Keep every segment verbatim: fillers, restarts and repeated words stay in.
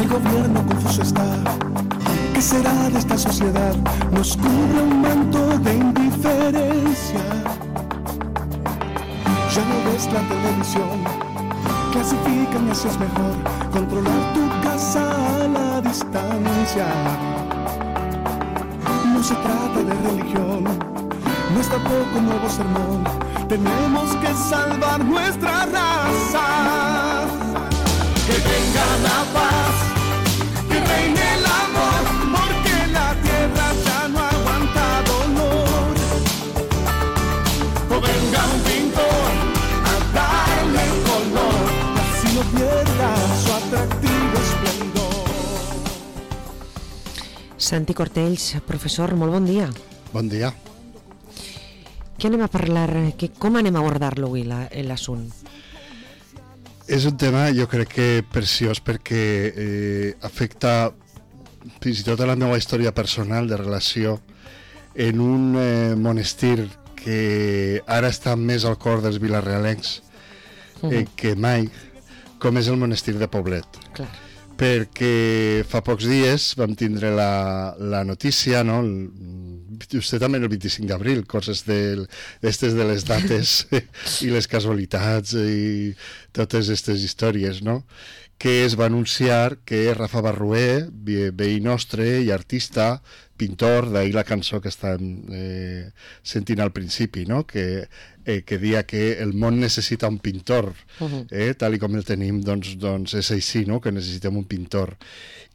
El gobierno confuso está. ¿Qué será de esta sociedad? Nos cubre un manto de indiferencia. Ya no ves la televisión, clasifican y así es mejor controlar tu casa a la distancia. No se trata de religión, no es tampoco un nuevo sermón. Tenemos que salvar nuestra raza. Que venga la paz, que reine el amor, porque la tierra ya no aguanta dolor. O venga un pintor a darle color, así no pierda su atractivo esplendor. Santi Cortells, professor, molt bon dia. Bon dia. Què anem a parlar, que, com anem a abordar-lo avui, l'assunt? És un tema, jo crec que preciós, perquè eh, afecta fins i tot a la meva història personal de relació en un eh, monestir que ara està més al cor dels vilarealencs eh, uh-huh. que mai, com és el monestir de Poblet. Clar. Perquè fa pocs dies vam tindre la, la notícia, no? El, justament el vint-i-cinc d'abril, coses d'aquestes de les dates i les casualitats i totes aquestes històries, no? Que es va anunciar que Rafa Barrué, veí nostre i artista, pintor, d'ahir la cançó que estan eh, sentint al principi, no? Que, eh, que dia que el món necessita un pintor, eh? Tal i com el tenim, doncs, doncs és així, no? Que necessitem un pintor.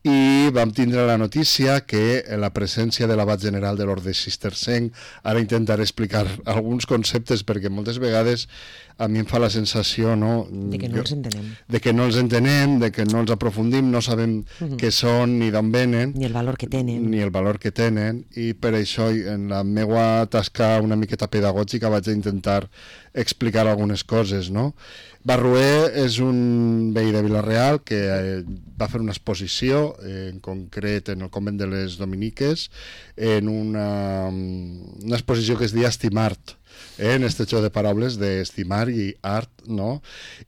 I vam tindre la notícia que en la presència de l'abat general de l'Orde Cistercenc, ara intentaré explicar alguns conceptes perquè moltes vegades a mi em fa la sensació, no? De que no els entenem. De que no els entenem, de que no els aprofundim, no sabem uh-huh. què són ni d'on venen. Ni el valor que tenen. Ni el valor que tenen, i per això en la meva tasca una miqueta pedagògica vaig intentar explicar algunes coses, no? Barrué és un veí de Vila-real que eh, va fer una exposició, eh, en concret en el convent de les Dominiques, en una, una exposició que es deia Estimart, eh, en este joc de paraules d'estimar i art, no?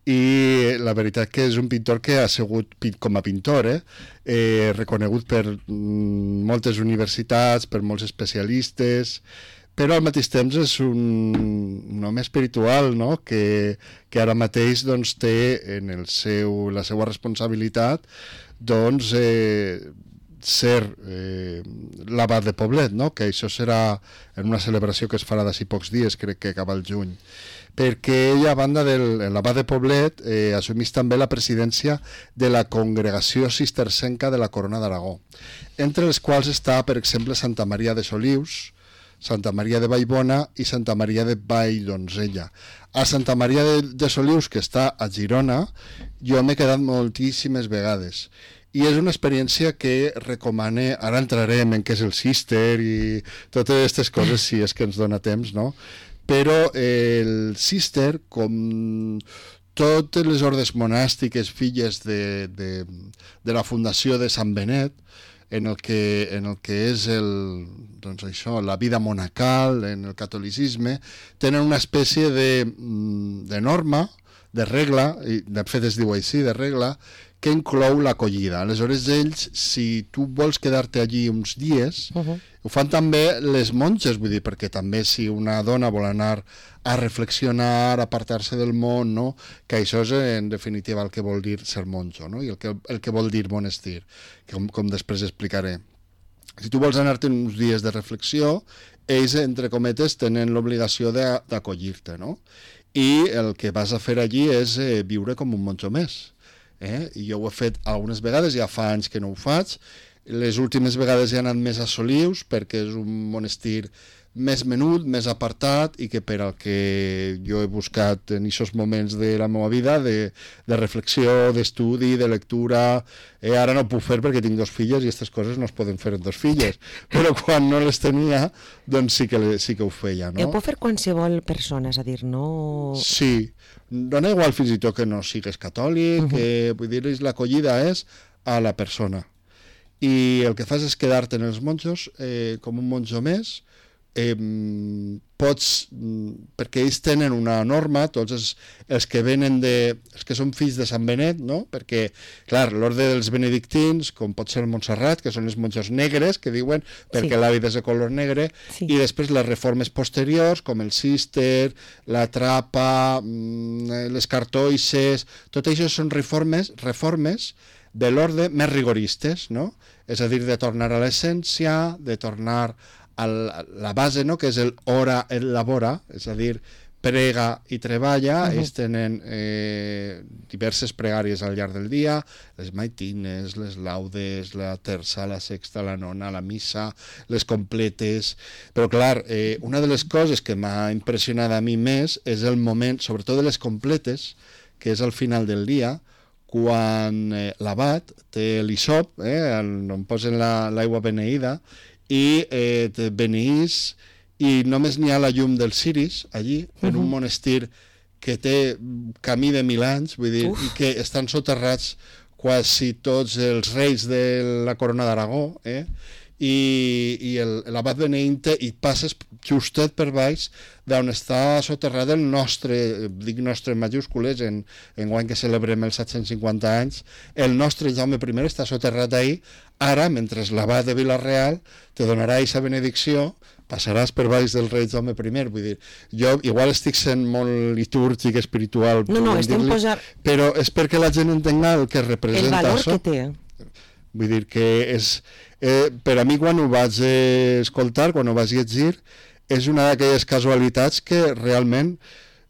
I la veritat que és un pintor que ha sigut com a pintor, eh, eh, reconegut per mm, moltes universitats, per molts especialistes, però al mateix temps és un, un home espiritual, no? que, que ara mateix doncs, té en el seu, la seva responsabilitat doncs, eh, ser eh, l'abat de Poblet, no? Que això serà en una celebració que es farà d'ací pocs dies, crec que acaba el juny, perquè ell, a banda de l'abat de Poblet, eh, assumís també la presidència de la Congregació Cistercenca de la Corona d'Aragó, entre les quals està, per exemple, Santa Maria de Solius, Santa Maria de Vallbona i Santa Maria de Valldonzella. A Santa Maria de, de Solius, que està a Girona, jo m'he quedat moltíssimes vegades. I és una experiència que recomane, ara entrarem en què és el cister i totes aquestes coses, si és que ens dona temps, no? Però el cister, com totes les ordes monàstiques filles de, de, de la fundació de Sant Benet, en el que, en el que és el, doncs això, la vida monacal, en el catolicisme, tenen una espècie de, de norma, de regla, i de fet es diu així, de regla, que inclou l'acollida. Aleshores, ells, si tu vols quedar-te allí uns dies, uh-huh. ho fan també les monges, vull dir, perquè també si una dona vol anar a reflexionar, a apartar-se del món, no? Que això és en definitiva el que vol dir ser monjo, no? I el que, el que vol dir monestir, com, com després explicaré. Si tu vols anar-te uns dies de reflexió, ells, entre cometes, tenen l'obligació d'acollir-te, no? I el que vas a fer allí és eh, viure com un monjo més. Eh? I jo ho he fet algunes vegades, ja fa anys que no ho faig. Les últimes vegades he anat més a Solius perquè és un monestir més menut, més apartat, i que per al que jo he buscat en aquests moments de la meva vida de, de reflexió, d'estudi, de lectura, eh, ara no ho puc fer perquè tinc dos filles i aquestes coses no es poden fer en dos filles, però quan no les tenia doncs sí que, sí que ho feia, no? Ho pot fer qualsevol persona, és a dir, no... Sí, dona igual fins i tot que no sigues catòlic, uh-huh. que vull dir, l'acollida és a la persona, i el que fas és quedar-te en els monjos eh, com un monjo més, Eh, pots, perquè ells tenen una norma, tots els, els que venen de, els que són fills de Sant Benet, no? Perquè, clar, l'ordre dels benedictins, com pot ser el Montserrat, que són els monjos negres, que diuen, perquè sí. l'hàbit és de color negre, sí. i després les reformes posteriors, com el cister, la trapa, les cartoixes, tot això són reformes, reformes de l'ordre més rigoristes, no? És a dir, de tornar a l'essència, de tornar a la base, no? Que és el ora et labora, és a dir, prega i treballa. Uh-huh. Ells tenen eh, diverses pregàries al llarg del dia, les maitines, les laudes, la terça, la sexta, la nona, la missa, les completes. Però clar, eh, una de les coses que m'ha impressionat a mi més és el moment, sobretot de les completes, que és al final del dia, quan eh, l'abat té l'hisop, eh, on posen l'aigua la, beneïda, i eh, te beneís, i només n'hi ha la llum dels ciris allí, en uh-huh. un monestir que té camí de mil anys, vull dir, Uf. i que estan soterrats quasi tots els reis de la corona d'Aragó, eh? i, i l'abat beneint i passes justet per baix d'on està soterrat el nostre, dic nostre en majúscules, en, en guany que celebrem els set-cents cinquanta anys, el nostre Jaume primer està soterrat ahí. Ara, mentre l'abat de Vila-real te donarà aquesta benedicció, passaràs per baix del rei Jaume primer. Vull dir, jo igual estic sent molt litúrgic, espiritual, no, no, estem posar... però és perquè la gent entenga el que representa el valor això. Que té. Vull dir que és... Eh, per a mi, quan ho vaig eh, escoltar, quan ho vaig llegir, és una d'aquelles casualitats que realment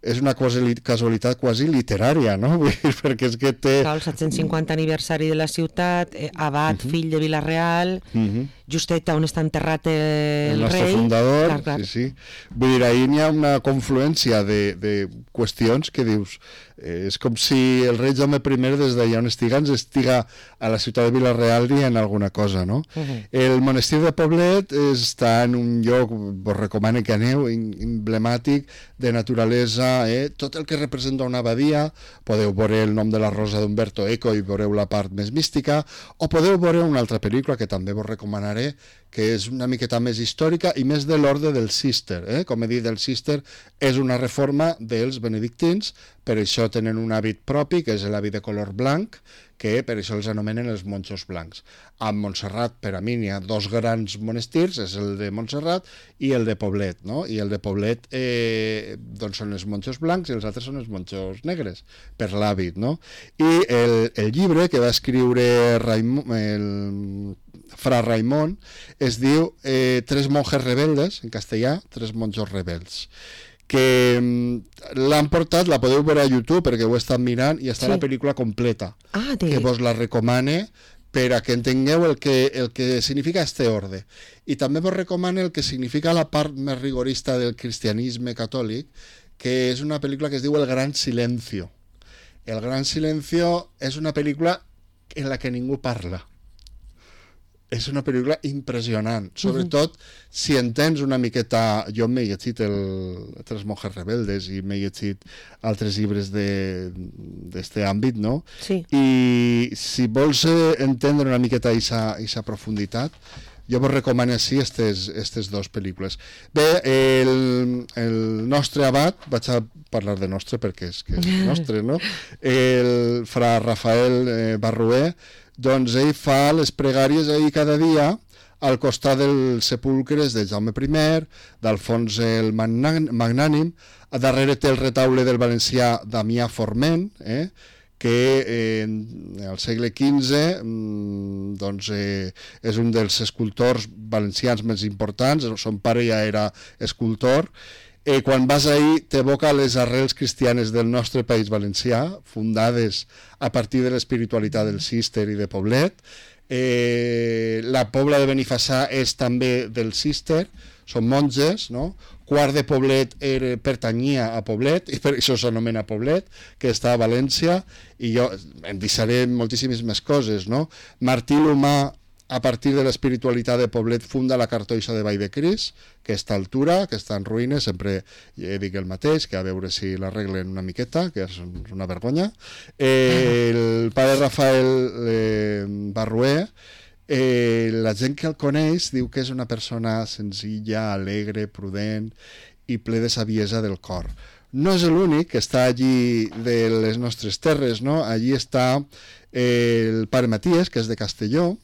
és una casualitat quasi literària, no? Vull dir, perquè és que té... El set-cents cinquanta aniversari de la ciutat, eh, abat, uh-huh. fill de Vila-real, uh-huh. justet on està enterrat el, el nostre rei. fundador, clar, clar. sí, sí. Vull dir, ahir n'hi ha una confluència de, de qüestions que dius... Eh, és com si el rei Jaume primer des d'allà on estiga ens estiga a la ciutat de Vila-real dient alguna cosa, no? Uh-huh. El monestir de Poblet està en un lloc, vos recomano que aneu, emblemàtic, de naturalesa, eh? Tot el que representa una abadia, podeu veure el nom de la rosa d'Umberto Eco i veureu la part més mística, o podeu veure una altra pel·lícula que també vos recomanaré, que és una miqueta més històrica i més de l'ordre del cister, eh? Com he dit, el cister és una reforma dels benedictins, per això tenen un hàbit propi, que és l'hàbit de color blanc, que per això els anomenen els monjos blancs. A Montserrat, per a mi, n'hi ha dos grans monestirs, és el de Montserrat i el de Poblet, no? I el de Poblet eh, doncs són els monjos blancs i els altres són els monjos negres, per l'hàbit, no? I el, el llibre que va escriure Raimon, el fra Raimon es diu eh, Tres monjes rebeldes, en castellà, Tres monjos rebels, que l'han portat, la podeu veure a YouTube perquè ho he estat mirant i està sí. la pel·lícula completa, ah, que vos la recomane per a que entengueu el que, el que significa este orde. I també vos recomano el que significa la part més rigorista del cristianisme catòlic, que és una pel·lícula que es diu El Gran Silencio. El Gran Silencio és una pel·lícula en la que ningú parla. És una pel·lícula impressionant, sobretot uh-huh. si entens una miqueta... Jo m'he llegit el Tres monjes rebeldes i m'he llegit altres llibres d'aquest àmbit, no? Sí. I si vols entendre una miqueta aquesta profunditat, jo vos recomano sí aquestes, aquestes dues pel·lícules. Bé, el, el nostre abat, vaig a parlar de nostre perquè és que és nostre, no? El fra Rafael eh, Barrué, doncs ell fa les pregàries ahir cada dia al costat dels sepulcres de Jaume primer, d'Alfons el Magnànim, a darrere té el retaule del valencià Damià Forment, eh, que eh, al segle quinze doncs, eh, és un dels escultors valencians més importants, son pare ja era escultor. Eh, quan vas ahir t'evoca les arrels cristianes del nostre país valencià, fundades a partir de l'espiritualitat del cister i de Poblet. Eh, la Pobla de Benifassà és també del cister, són monges, no? Quart de Poblet era, pertanyia a Poblet, i per això s'anomena Poblet, que està a València, i jo em deixaré moltíssimes més coses, no? Martí l'Humà, a partir de l'espiritualitat de Poblet, funda la cartoixa de Vall de Cris, que està a altura, que està en ruïnes, sempre dic el mateix, que a veure si l'arreglen una miqueta, que és una vergonya. Eh, el pare Rafael eh, Barrué, eh, la gent que el coneix diu que és una persona senzilla, alegre, prudent, i ple de saviesa del cor. No és l'únic que està allí de les nostres terres, no? Allí està eh, el pare Matías, que és de Castelló,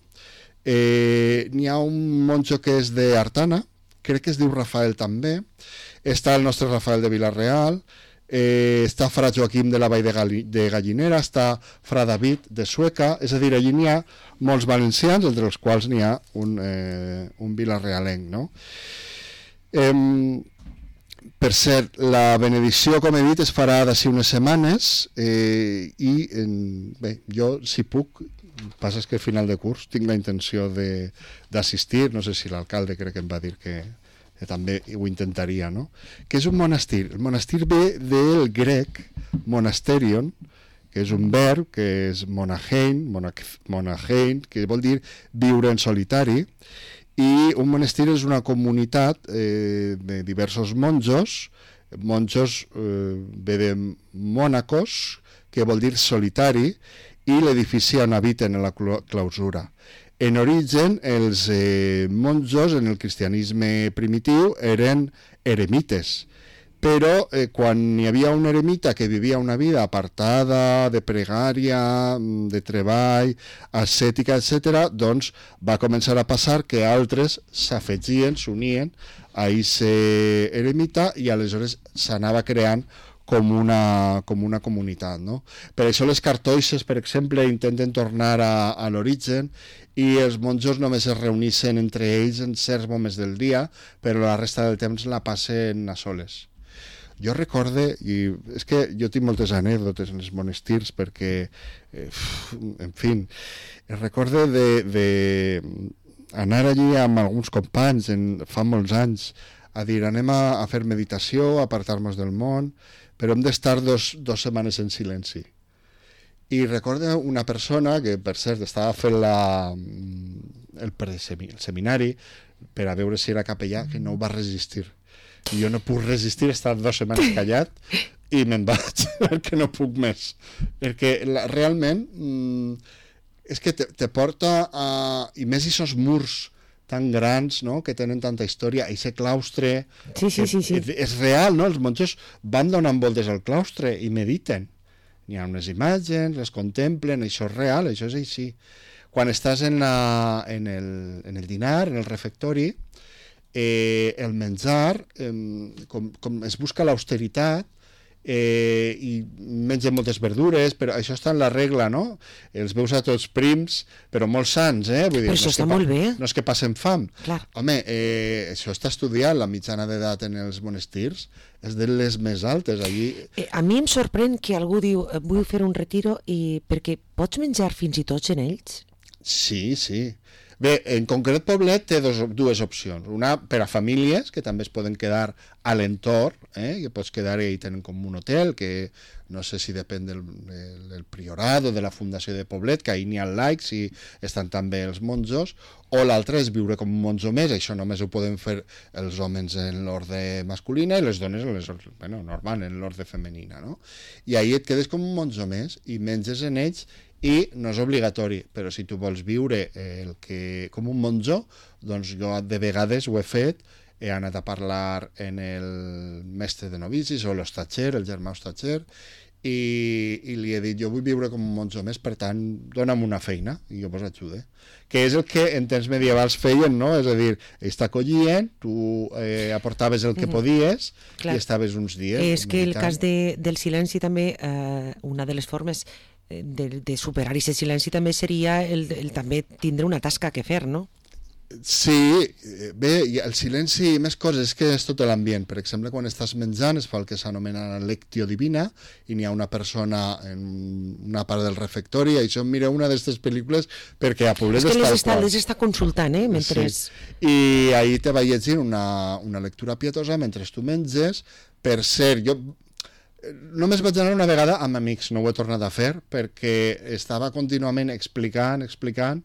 eh, n'hi ha un monjo que és d'Artana, crec que es diu Rafael també, està el nostre Rafael de Vilareal, eh, està fra Joaquim de la Vall de, Gali, de Gallinera, està fra David de Sueca, és a dir, allí n'hi ha molts valencians, entre els quals n'hi ha un, eh, un vilarealenc, no? Eh, per cert, la benedicció, com he dit, es farà d'ací unes setmanes eh, i en, bé, jo, si puc, passa és que a final de curs tinc la intenció d'assistir, no sé si l'alcalde crec que em va dir que, que també ho intentaria, no? Que és un monestir. El monestir ve del grec monasterion, que és un verb, que és monahein, monahein, que vol dir viure en solitari, i un monestir és una comunitat eh, de diversos monjos, monjos eh, ve de mònacos, que vol dir solitari, i l'edifici on habiten en la clausura. En origen, els eh, monjos en el cristianisme primitiu eren eremites, però eh, quan hi havia un eremita que vivia una vida apartada, de pregària, de treball, ascètica, etcètera, doncs va començar a passar que altres s'afegien, s'unien a aquest eremita i aleshores s'anava creant com una, com una comunitat, no? Per això les cartoixes, per exemple, intenten tornar a, a l'origen i els monjos només es reuneixen entre ells en certs moments del dia, però la resta del temps la passen a soles. Jo recorde, i és que jo tinc moltes anècdotes en els monestirs perquè, eh, en fi, recorde de, de anar allí amb alguns companys en, fa molts anys a dir anem a, a fer meditació, a apartar-nos del món, però hem d'estar dos, dos setmanes en silenci. I recordo una persona que, per cert, estava fent la, el, el seminari per a veure si era capellà, que no ho va resistir. I jo no puc resistir estar dues setmanes callat i me'n vaig, perquè no puc més. Perquè la, realment mm, és que te, te porta a... I més aquests murs tan grans, no?, que tenen tanta història, aquest claustre... Sí, sí, sí, sí. És, és real, no? Els monjos van donant voltes al claustre i mediten. N'hi ha unes imatges, les contemplen, això és real, això és així. Quan estàs en, la, en, el, en el dinar, en el refectori, Eh, el menjar, eh, com, com es busca l'austeritat, eh, i mengen moltes verdures, però això està en la regla, no? Els veus a tots prims, però molt sans, eh? Vull dir, però això no està molt bé. No és que passen fam. Clar. Home, eh, això està estudiat, la mitjana d'edat en els monestirs és de les més altes. Allí... Eh, a mi em sorprèn que algú diu vull fer un retiro i perquè pots menjar fins i tot en ells? Sí, sí. Bé, en concret Poblet té dos, dues opcions. Una per a famílies, que també es poden quedar a l'entorn, eh? Que pots quedar i tenen com un hotel, que no sé si depèn del, del priorat o de la fundació de Poblet, que ahir n'hi ha laics i estan també els monjos, o l'altre és viure com un monjo més, això només ho poden fer els homes en l'ordre masculina i les dones en les, bueno, normal, en l'ordre femenina, no? I ahir et quedes com un monjo més i menges en ells i no és obligatori, però si tu vols viure el que, com un monjo, doncs jo de vegades ho he fet, he anat a parlar en el mestre de novicis o l'hostatger, el germà hostatger, i, i li he dit, jo vull viure com un monjo més, per tant, dona'm una feina i jo vos ajude. Que és el que en temps medievals feien, no? És a dir, ells t'acollien, tu eh, aportaves el que podies Clar. I estaves uns dies. És que el cas de, del silenci també, eh, una de les formes de, de superar aquest silenci també seria el, el també tindre una tasca que fer, no? Sí, bé, el silenci i més coses, és que és tot l'ambient. Per exemple, quan estàs menjant es fa el que s'anomena lectio divina i n'hi ha una persona en una part del refectori, i això em mira una d'aquestes pel·lícules perquè a Poblet és que les està, està, les està consultant, eh? Mentre... Sí. I ahir te va llegint una, una lectura pietosa mentre tu menges. Per cert, jo només vaig anar una vegada amb amics, no ho he tornat a fer, perquè estava contínuament explicant, explicant,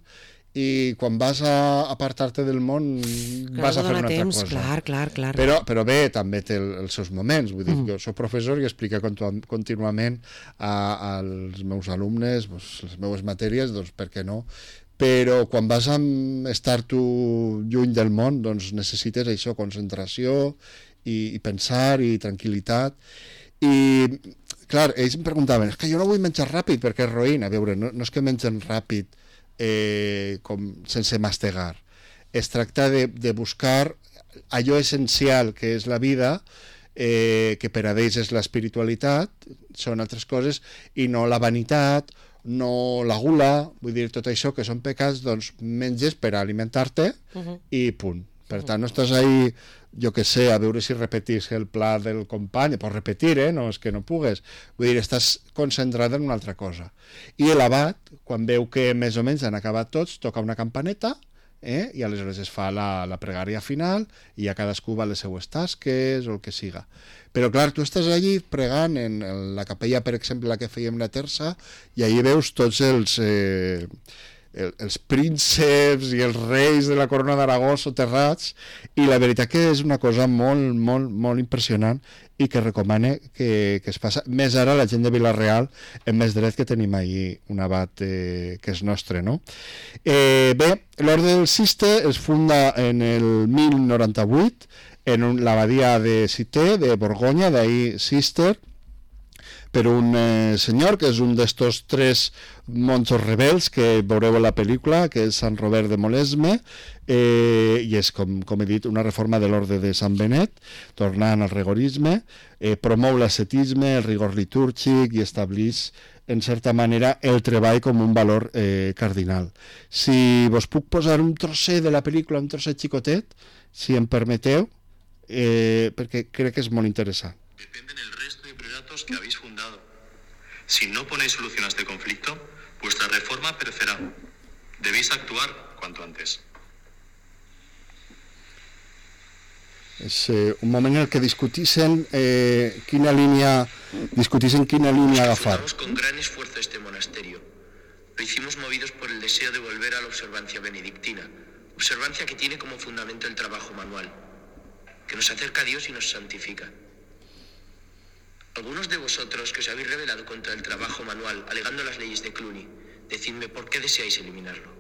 i quan vas a apartar-te del món clar, vas a fer una temps, altra cosa. Clar, clar, clar. Però, però bé, també té el, els seus moments. Vull dir, mm. jo soc professor i explico contínuament a, als meus alumnes pues, les meves matèries, doncs per què no? Però quan vas a estar tu lluny del món, doncs necessites això, concentració i, i pensar i tranquil·litat. I, clar, ells em preguntaven, és que jo no vull menjar ràpid perquè és roïn. A veure, no, no és que mengen ràpid eh, com sense mastegar. Es tracta de, de buscar allò essencial que és la vida, eh, que per a ells és l'espiritualitat, són altres coses, i no la vanitat, no la gula, vull dir, tot això que són pecats, doncs menges per alimentar-te uh-huh. i punt. Per tant, no estàs ahí, jo que sé, a veure si repetís el pla del company, pots repetir, eh? No és que no pugues. Vull dir, estàs concentrat en una altra cosa. I l'abat, quan veu que més o menys han acabat tots, toca una campaneta, eh? I aleshores es fa la, la pregària final i ja cadascú va a les seues tasques o el que siga. Però clar, tu estàs allí pregant en, en la capella, per exemple, la que fèiem la terça, i allí veus tots els... Eh, els prínceps i els reis de la corona d'Aragó soterrats, i la veritat que és una cosa molt, molt, molt impressionant i que recomane que, que es passa. Més ara la gent de Vila-real, en més dret que tenim ahir un abat eh, que és nostre, no? Eh, bé, l'Orde del Cister es funda en el mil noranta-vuit en un, l'abadia de Cité, de Borgonya, d'ahir Cister, per un eh, senyor que és un d'estos tres monjos rebels que veureu a la pel·lícula, que és Sant Robert de Molesme, eh, i és, com, com he dit, una reforma de l'orde de Sant Benet, tornant al rigorisme, eh, promou l'ascetisme, el rigor litúrgic i estableix, en certa manera, el treball com un valor eh, cardinal. Si vos puc posar un trosset de la pel·lícula, un trosset xicotet, si em permeteu, eh, perquè crec que és molt interessant. Dependen el resto de prioratos que habéis fundado. Si no ponéis solución a este conflicto, vuestra reforma perecerá. Debéis actuar cuanto antes. És eh, un moment en el que discutixen eh, quina línia discutixen quina línia agafar. Fundamos con gran esfuerzo este monasterio. Lo hicimos movidos por el deseo de volver a la observancia benedictina, observancia que tiene como fundamento el trabajo manual, que nos acerca a Dios y nos santifica. Algunos de vosotros que os habéis rebelado contra el trabajo manual, alegando las leyes de Cluny, decidme por qué deseáis eliminarlo.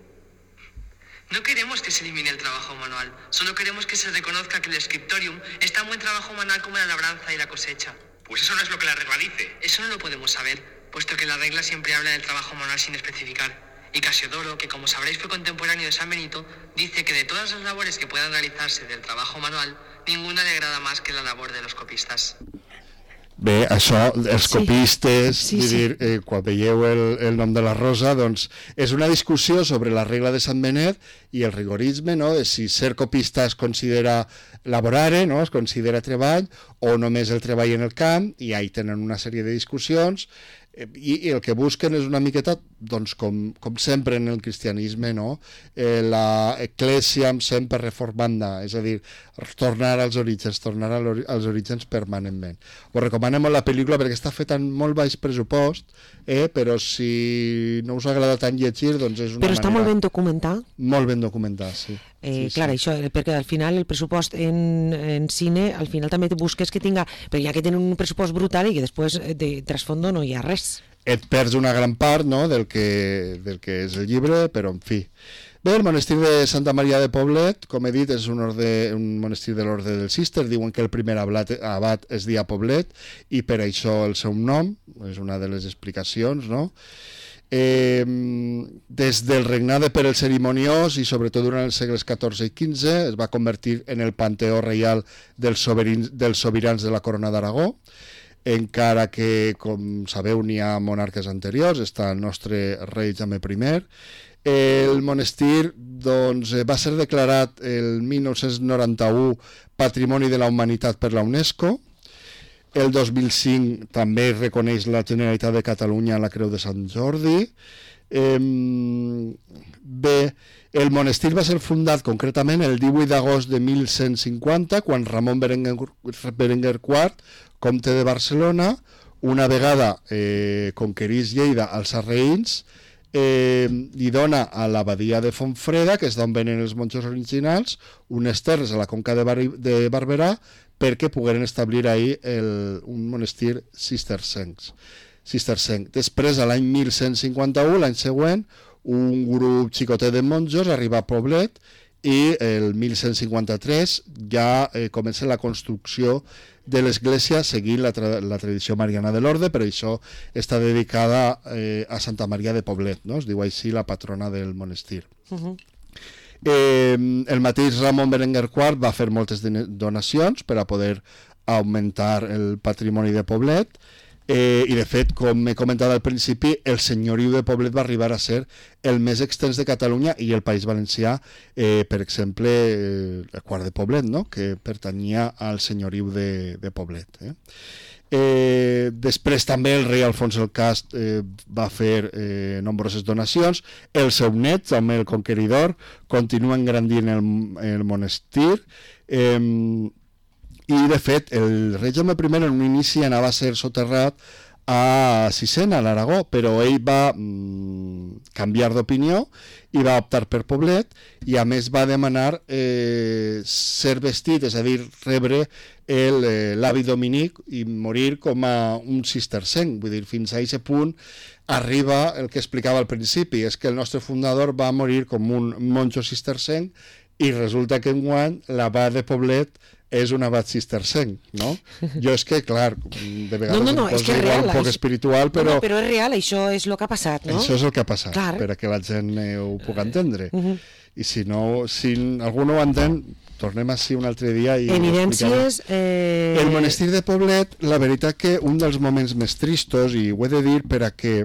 No queremos que se elimine el trabajo manual, solo queremos que se reconozca que el scriptorium es tan buen trabajo manual como la labranza y la cosecha. Pues eso no es lo que la regla dice. Eso no lo podemos saber, puesto que la regla siempre habla del trabajo manual sin especificar. Y Casiodoro, que como sabréis fue contemporáneo de San Benito, dice que de todas las labores que puedan realizarse del trabajo manual, ninguna le agrada más que la labor de los copistas. Bé, això, els Sí. copistes, Sí, vull sí. dir, eh, quan veieu el, el nom de la Rosa, doncs és una discussió sobre la regla de Sant Benet i el rigorisme, no?, de si ser copista es considera laborare, no?, es considera treball, o només el treball en el camp, i ahí tenen una sèrie de discussions, eh, i, i el que busquen és una miqueta, doncs, com, com sempre en el cristianisme, no?, eh, la eclèsia sempre reformanda, és a dir, tornar als orígens, tornar als orígens permanentment. Us recomanem molt la pel·lícula perquè està feta en molt baix pressupost, eh, però si no us agrada tant llegir, doncs és una Però està manera... molt ben documentat. Molt ben documentat, sí. Eh, sí, clar, sí. això, perquè al final el pressupost en, en cine, al final també te busques que tinga, però ja que tenen un pressupost brutal i que després de trasfondo no hi ha res. Et perds una gran part, no?, del que, del que és el llibre, però en fi. Bé, el monestir de Santa Maria de Poblet, com he dit, és un, orde, un monestir de l'Orde del Cister. Diuen que el primer abat, abat es dia Poblet i per això el seu nom, és una de les explicacions, no? Eh, des del regnat de Pere el Cerimoniós i sobretot durant els segles catorze i quinze es va convertir en el panteó reial dels sobirans, dels sobirans de la corona d'Aragó, encara que, com sabeu, n'hi ha monarques anteriors, està el nostre rei Jaume primer. El monestir doncs, va ser declarat el mil nou-cents noranta-u Patrimoni de la Humanitat per la UNESCO. El dos mil cinc també reconeix la Generalitat de Catalunya la Creu de Sant Jordi. Eh, bé, el monestir va ser fundat concretament el divuit d'agost de mil cent cinquanta, quan Ramon Berenguer, Berenguer quart, comte de Barcelona, una vegada eh, conquerís Lleida als sarraïns, eh, li dona a l'abadia de Fontfreda, que és d'on venen els monjos originals, unes terres a la conca de, Bar de Barberà perquè pogueren establir ahir el, un monestir cistercenc. cistercenc. Després, a l'any mil cent cinquanta-u, l'any següent, un grup xicotet de monjos arriba a Poblet i el mil cent cinquanta-tres ja eh, comença la construcció de l'església seguint la, tra la tradició mariana de l'orde, però això està dedicada eh, a Santa Maria de Poblet, no? Es diu així la patrona del monestir. Uh-huh. eh, el mateix Ramon Berenguer quart va fer moltes donacions per a poder augmentar el patrimoni de Poblet, eh, i de fet, com he comentat al principi, el senyoriu de Poblet va arribar a ser el més extens de Catalunya i el País Valencià, eh, per exemple, eh, el quart de Poblet, no? Que pertanyia al senyoriu de, de Poblet. Eh? Eh, després també el rei Alfons el Cast eh, va fer eh, nombroses donacions. El seu net, Jaume el Conqueridor, continua engrandint el, el monestir. Eh, I, de fet, el rei Jaume primer en un inici anava a ser soterrat a Sisena, a l'Aragó, però ell va mm, canviar d'opinió i va optar per Poblet, i a més va demanar eh, ser vestit, és a dir, rebre l'hàbit dominic i morir com a un cistercenc. Vull dir, fins a aquest punt arriba el que explicava al principi, és que el nostre fundador va morir com un monjo cistercenc i resulta que enguany l'abat de Poblet és un abat cistercenc, no? Jo és que, clar, de vegades no, no, no, em posa igual un poc és... espiritual, però... No, però és real, això és el que ha passat, no? Això és el que ha passat, clar, per a que la gent eh, ho pugui entendre. Uh -huh. I si no, si algú no ho entén, tornem així un altre dia i... Evidències... Eh... El monestir de Poblet, la veritat que un dels moments més tristos, i ho he de dir per a que...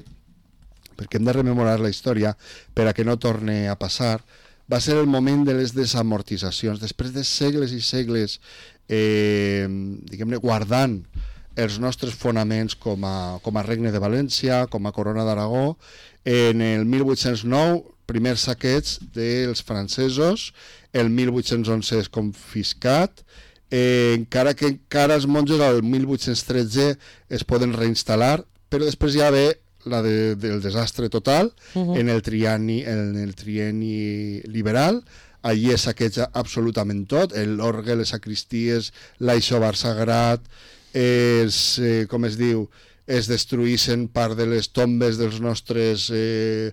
perquè hem de rememorar la història, per a que no torne a passar, va ser el moment de les desamortitzacions. Després de segles i segles eh, diguem-ne, guardant els nostres fonaments com a, com a Regne de València, com a Corona d'Aragó, en el mil vuit-cents nou, primers saqueig dels francesos, el mil vuit-cents onze és confiscat, eh, encara que encara els monjos al mil vuit-cents tretze es poden reinstal·lar, però després ja ve la de, del desastre total, uh-huh. en el trienni, en el trienni liberal. Allí es saqueja absolutament tot, l'orgue, les sacristies, l'aixovar sagrat, es, eh, com es diu, es destruïssen part de les tombes dels nostres eh,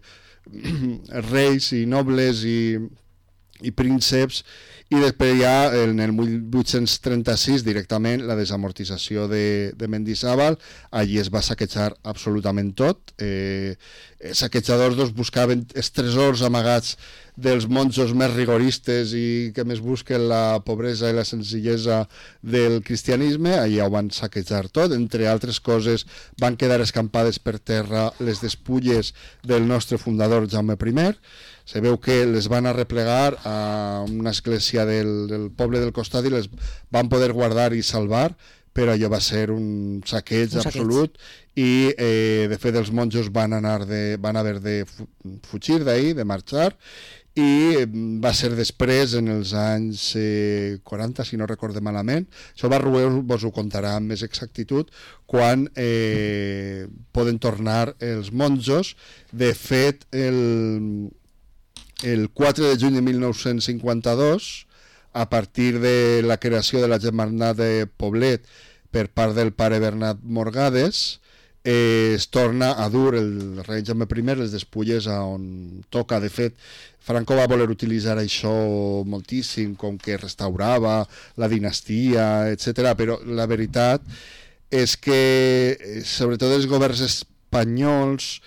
reis i nobles i, i prínceps, i després ja en el mil vuit-cents trenta-sis directament la desamortització de, de Mendizábal. Allí es va saquejar absolutament tot. Eh, els saquejadors doncs, buscaven els tresors amagats dels monjos més rigoristes i que més busquen la pobresa i la senzillesa del cristianisme. Allà ho van saquejar tot. Entre altres coses van quedar escampades per terra les despulles del nostre fundador Jaume primer. Se veu que les van arreplegar a una església del, del poble del costat i les van poder guardar i salvar, però allò va ser un saqueig un absolut saqueig. I eh, de fet els monjos van, anar de, van haver de fugir d'ahir, de marxar, i va ser després, en els anys eh, quaranta, si no recorde malament. Això Barrué vos ho contarà amb més exactitud, quan eh, poden tornar els monjos. De fet, el... el quatre de juny de mil nou-cents cinquanta-dos, a partir de la creació de la Germandat de Poblet per part del pare Bernat Morgades, eh, es torna a dur el rei Jaume primer les despulles a on toca. De fet, Franco va voler utilitzar això moltíssim, com que restaurava la dinastia, etcètera, però la veritat és que, sobretot els governs espanyols,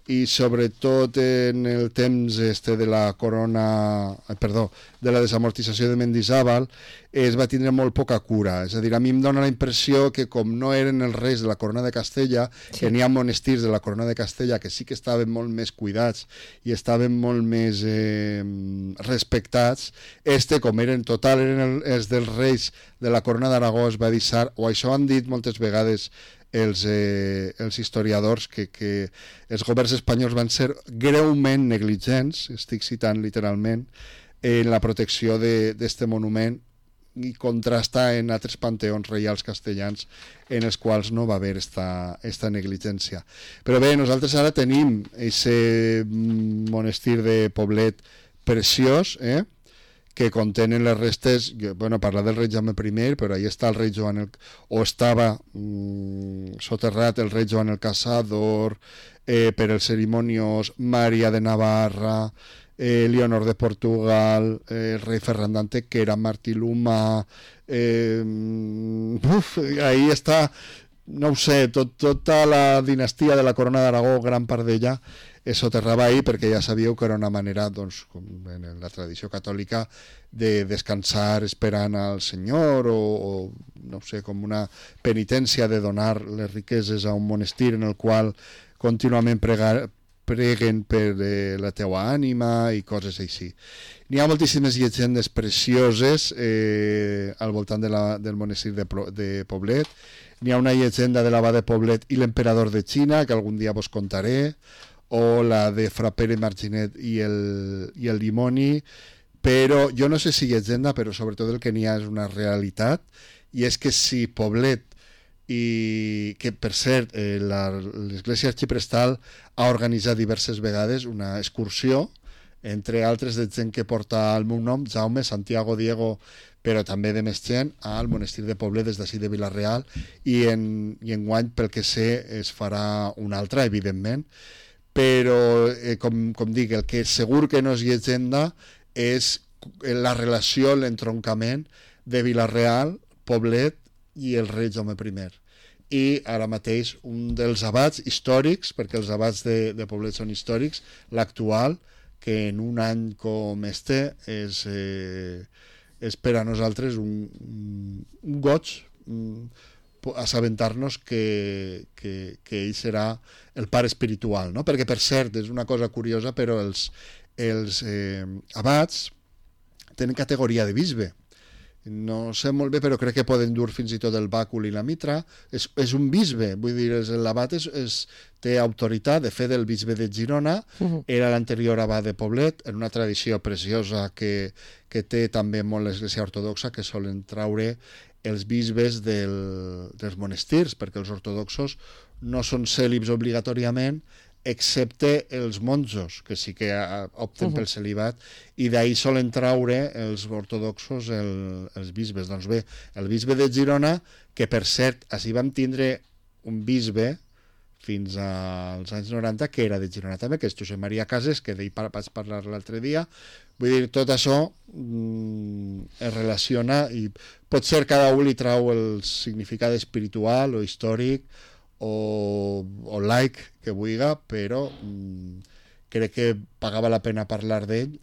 i sobretot en el temps este de la corona, perdó, de la desamortització de Mendizábal, es va tindre molt poca cura. És a dir, a mi em dona la impressió que com no eren els reis de la corona de Castella, sí. que n'hi ha monestirs de la corona de Castella que sí que estaven molt més cuidats i estaven molt més eh, respectats, este, com eren total, eren els dels reis de la corona d'Aragó, es va deixar, o això han dit moltes vegades els, eh, els historiadors, que, que els governs espanyols van ser greument negligents, estic citant literalment, en la protecció d'aquest monument, i contrasta en altres panteons reials castellans en els quals no va haver esta, esta negligència. Però bé, nosaltres ara tenim aquest monestir de Poblet preciós, eh? que contenen les restes, bueno, parlar del rei Jaume primer, però ahí està el rei Joan, el, o estava mm, soterrat el rei Joan el Caçador, eh, per els cerimonios Maria de Navarra, eh, Leonor de Portugal, eh, el rei Ferran d'Ante, que era Martí Luma, eh, uf, ahí està, no ho sé, tot, tota la dinastia de la Corona d'Aragó, gran part d'ella, es soterrava ahí perquè ja sabíeu que era una manera, doncs, com en la tradició catòlica, de descansar esperant al Senyor o, o no sé, com una penitència de donar les riqueses a un monestir en el qual contínuament pregar, preguen per eh, la teua ànima i coses així. N'hi ha moltíssimes llegendes precioses eh, al voltant de la, del monestir de, de Poblet. N'hi ha una llegenda de l'abat de Poblet i l'emperador de Xina, que algun dia vos contaré, o la de Fra Pere Marginet i el, i el dimoni, però jo no sé si llegenda, però sobretot el que n'hi ha és una realitat, i és que si Poblet, i que per cert eh, l'Església Arxiprestal ha organitzat diverses vegades una excursió, entre altres de gent que porta el meu nom, Jaume, Santiago, Diego, però també de més gent, al monestir de Poblet des d'ací de Vila-real, i en, i enguany, pel que sé, es farà una altra, evidentment, però, eh, com, com dic, el que segur que no és llegenda és la relació, l'entroncament de Vila-real, Poblet i el rei Jaume primer. I ara mateix un dels abats històrics, perquè els abats de, de Poblet són històrics, l'actual, que en un any com este és, eh, és per a nosaltres un, un goig un, assabentar-nos que, que, que ell serà el pare espiritual, no? Perquè, per cert, és una cosa curiosa, però els, els eh, abats tenen categoria de bisbe. No sé molt bé, però crec que poden dur fins i tot el bàcul i la mitra. És, és un bisbe, vull dir, l'abat és, és, té autoritat. De fet, el bisbe de Girona uh-huh. era l'anterior abat de Poblet, en una tradició preciosa que, que té també molt l'Església Ortodoxa, que solen traure els bisbes del, dels monestirs, perquè els ortodoxos no són cèlibs obligatòriament, excepte els monjos, que sí que opten uh-huh. pel celibat, i d'ahir solen traure els ortodoxos el, els bisbes. Doncs bé, el bisbe de Girona, que per cert, així vam tindre un bisbe fins als anys noranta, que era de Girona també, que és Josep Maria Cases, que d'ell vaig parlar l'altre dia. Vull dir, tot això mm, es relaciona i potser cada un li trau el significat espiritual o històric o, o laic que vulgui, però mm, crec que pagava la pena parlar d'ell,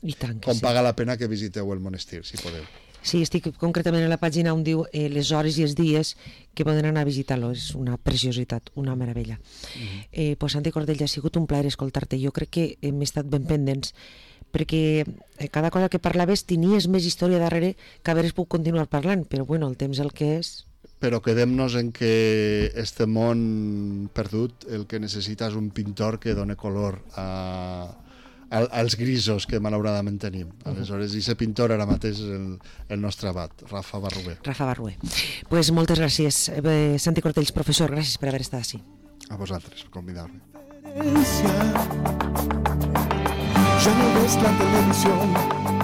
com sí. paga la pena que visiteu el monestir, si podeu. Sí, estic concretament a la pàgina on diu eh, les hores i els dies que poden anar a visitar-lo. És una preciositat, una meravella. Mm-hmm. eh, pues, Santi Cordell, ha sigut un plaer escoltar-te. Jo crec que hem estat ben pendents, perquè cada cosa que parlaves tenies més història darrere que haveres pogut continuar parlant, però bueno, el temps el que és... Però quedem-nos en que este món perdut el que necessita és un pintor que doni color a... als grisos que malauradament tenim. Aleshores, i aquest pintor ara mateix és el, el nostre abat, Rafa Barrué. Rafa Barrué. Pues moltes gràcies, eh, Santi Cortells, professor, gràcies per haver estat així. A vosaltres, per convidar-me. Ya no ves la televisión,